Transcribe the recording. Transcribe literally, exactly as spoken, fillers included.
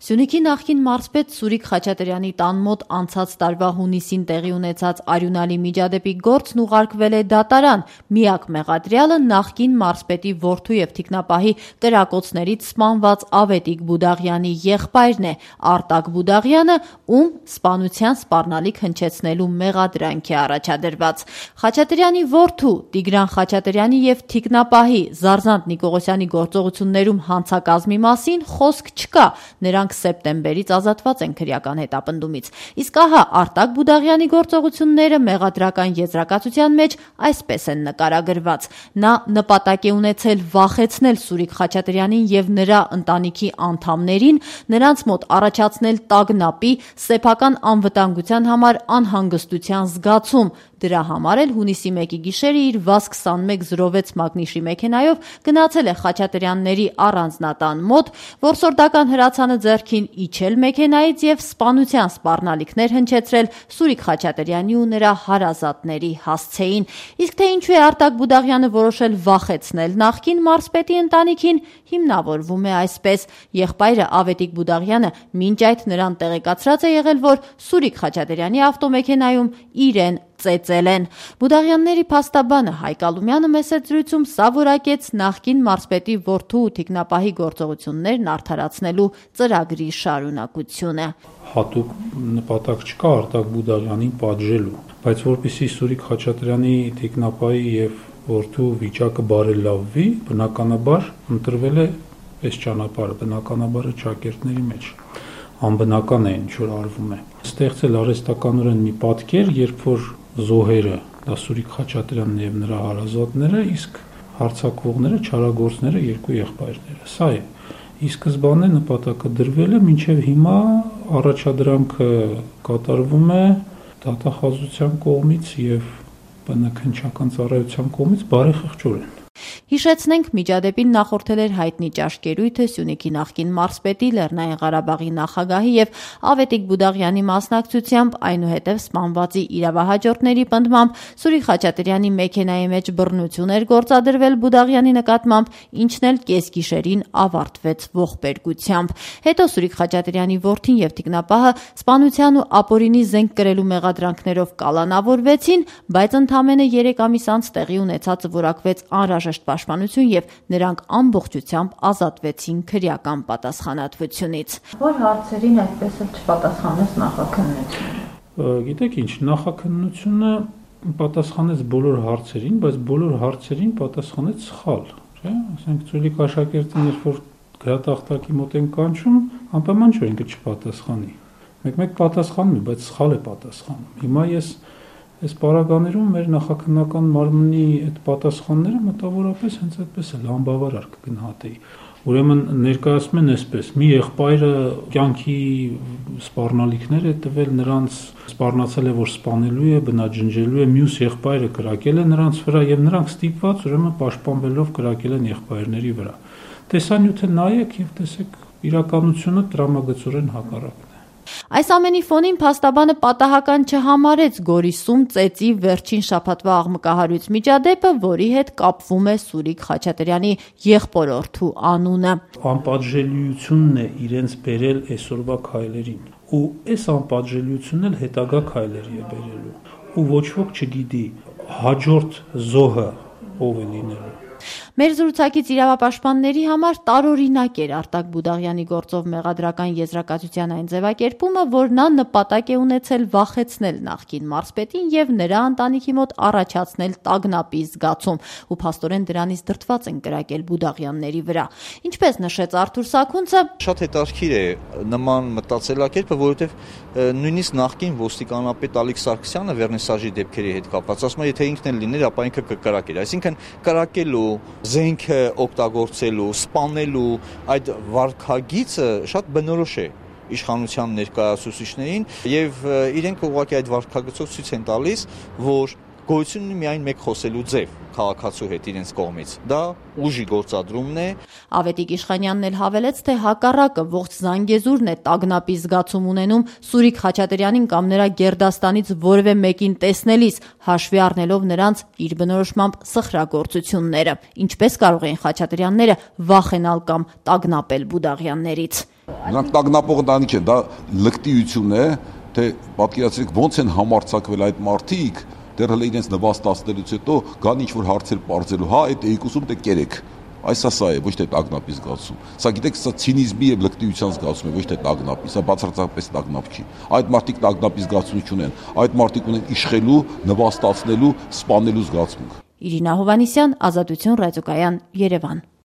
Սյունիքի նախկին մարզպետ Սուրիկ Խաչատրյանի տան մոտ անցած տարվա հունիսին տեղի ունեցած արյունալի միջադեպի գործն ուղարկվել է դատարան։ Միակ մեղադրյալը նախկին մարզպետի որդու եւ թիկնապահի կրակոցներից սպանված Ավետիք Բուդաղյանի եղբայրն է, Արտակ Բուդաղյանը, ում սպանության սպառնալիք հնչեցնելու մեղադրանք է առաջադրված։ Խաչատրյանի որդու Տիգրան Խաչատրյանի եւ թիկնապահի Զարզանտ Նիկողոսյանի գործողություններում հանցակազմի մասին խոսք չկա։ Նրանք սեպտեմբերից ազատված են քրեական հետապնդումից։ Իսկ ահա Արտակ Բուդաղյանի գործողությունները մեղադրական եզրակացության մեջ այսպես են նկարագրված. նա նպատակ է ունեցել վախեցնել Սուրիկ Խաչատրյանին եւ նրա ընտանիքի անդամներին, նրանց մոտ առաջացնել տագնապի, սեփական անվտանգության համար անհանգստության զգացում։ Դրա համար էլ հունիսի մեկի գիշերը իր վազ քսանմեկ զրո վեց մագնիշի մեքենայով գնացել է Խաչատրյանների առանձնատան մոտ, որսորդական հրացանը ձեռքին իջել մեքենայից եւ սպանության սպառնալիքներ հնչեցրել Սուրիկ Խաչատրյանի ու նրա հարազատների հասցեին։ Իսկ թե ինչու է Արտակ Բուդաղյանը որոշել վախեցնել նախկին մարզպետի ընտանիքին, հիմնավորվում է այսպես. եղբայրը Ավետիք Բուդաղյանը մինչ այդ նրան տեղեկացրած է եղել, որ Սուրիկ Խաչատրյանի ավտոմեքենայում իրեն ծեծել են։ Բուդաղյանների փաստաբանը Հայկ Ալումյանը մեծ զրույցում սա որակեց նախկին մարզպետի որդու ու թիկնապահի գործողություններն արդարացնելու ծրագրի շարունակությունը։ Հատուկ նպատակ չկա Արտակ Բուդաղյանին պատժելու, բայց որպեսզի Սուրիկ Խաչատրյանի թիկնապահի եւ որդու վիճակը բարելավվի, բնականաբար ընտրվել է այս ճանապարհը, բնականաբար ճակերտների մեջ անբնական է ինչ որ արվում է։ Ստեղծել արհեստականորեն մի պատկեր, երբ որ զոհերը, դա Սուրիկ Խաչատրյանն եւ նրա հարազատները, իսկ հարձակվողները, չարագործները երկու եղբայրները։ Սա է։ Ի սկզբանե նպատակը դրվել է, մինչև հիմա առաջադրանքը կատարվում է դատախազության կողմից եւ բնաքննչական ծառայության կողմից բարեխղճորեն։ Հիշեցնենք, միջադեպին նախորդել էր հայտնի ճաշկերույթը Սյունիքի նախկին մարզպետի, Լեռնային Ղարաբաղի նախագահի եւ Ավետիք Բուդաղյանի մասնակցությամբ, այնուհետև սպանվածի իրավահաջորդների պնդմամբ Սուրիկ Խաչատրյանի մեքենայի մեջ բռնություն էր գործադրվել Բուդաղյանի նկատմամբ, ինչն էլ կեսգիշերին ավարտվեց ողբերգությամբ։ Հետո Սուրիկ Խաչատրյանի որդին եւ թիկնապահը սպանության ու ապօրինի զենք կրելու մեղադրանքներով կալանավորվեցին, բայց ընդամենը երեք ամիս անց տեղի ունեցածը որակվեց անհրաժեշտ պաշտպանություն եւ նրանք ամբողջությամբ ազատվեցին քրեական պատասխանատվությունից։ Որ հարցերին այդպես էլ չպատասխանեց նախաքննությունը։ Գիտեք ինչ, նախաքննությունը պատասխանեց բոլոր հարցերին, բայց բոլոր հարցերին պատասխանեց սխալ, չէ՞։ Ասենք Ծուլիկ աշակերտին երբ որ գրատախտակի մոտ են կանչում, անպայման չէ ինքը չպատասխանի։ Մեկ-մեկ պատասխանում է, բայց սխալ է պատասխանում։ Հիմա ես Այս պարագաներում մեր նախաքննական մարմնի այդ պատասխանները մտավորապես հենց այդպես էլ անբավարար կգնահատեի։ Ուրեմն ներկայացնում են այսպես. մի եղբայրը կյանքի սպառնալիքներ է տվել նրանց, սպառնացել է, որ սպանելու է, բնաջնջելու է, մյուս եղբայրը կրակել է նրանց վրա եւ նրանք ստիպված ուրեմն պաշտպանվելով կրակել են եղբայրների վրա։ Տեսանյութը նայեք եւ տեսեք իրականությունը տրամագծորեն հակառակն է։ Այս ամենի ֆոնին փաստաբանը պատահական չհամարեց Գորիսում ծեծի վերջին շաբաթվա աղմկահարույց միջադեպը, որի հետ կապվում է Սուրիկ Խաչատրյանի եղբորորդու անունը։ Անպատժելիությունն է իրենց բերել այսօրվա քայլերին, ու այս անպատժելիությունն էլ հետագա քայլերի է բերելու, ու ոչ ոք չգիտի հաջորդ զոհը ով է լինելու։ Մեր զրուցակից իրավապաշտպանների համար տարօրինակ էր Արտակ Բուդաղյանի գործով մեղադրական եզրակացության այն ձևակերպումը, որ նա նպատակ է ունեցել վախեցնել նախկին մարզպետին եւ նրա ընտանիքի մոտ առաջացնել տագնապի զգացում, ու փաստորեն դրանից դրդված են կրակել Բուդաղյանների վրա։ Ինչպես նշեց Արթուր Սաքունցը, շատ հետաքրքիր է նման մտածելակերպը, որովհետեւ նույնիսկ նախկին ոստիկանապետ Ալիկ Սարգսյանը վերնիսաժի դեպքերի հետ կապված ասում է, եթե ինքն էլ լիներ, ապա ինքը կկրակեր, այսինքն կրակելու զենքը օգտագործելու, սպանելու այդ վարքագիծը շատ բնորոշ է իշխանության ներկայացուցիչներին եւ իրենք ուղղակի այդ վարքագծով ցույց են տալիս, որ գոյություն ունի միայն մեկ խոսելու ձև քաղաքացու հետ իրենց կողմից։ Դա ուժի գործադրումն է։ Ավետիք Իշխանյանն էլ հավելեց, թե հակառակը ողջ Զանգեզուրն է տագնապի զգացում ունենում Սուրիկ Խաչատրյանին կամ նրա գերդաստանից որևէ մեկին տեսնելիս, հաշվի առնելով նրանց իր բնորոշմամբ սխրագործությունները։ Ինչպես կարող էին Խաչատրյանները վախենալ կամ տագնապել Բուդաղյաններից։ Նրանք տագնապող ընտանիք են, դա լկտիություն է, թե պատկերացրեք ոնց են համարձակվել այդ մարդիկ, դեռ հələ իրենց նվաստացնելուց հետո գան ինչ-որ հարցեր պարզելու, հա, այդ էիկուսում դե կերեք։ Այս սա է, ոչ թե տագնապի զգացում։ Սա գիտեք, սա ցինիզմի եւ լկտիության զգացում է, ոչ թե տագնապի, սա բացարձակապես տագնապ չի։ Այդ մարդիկ տագնապի զգացում չունեն, այդ մարդիկ ունեն իշխելու, նվաստացնելու, սպանելու զգացմունք։ Իրինա Հովհաննիսյան, Ազատություն ռադիոկայան, Երևան։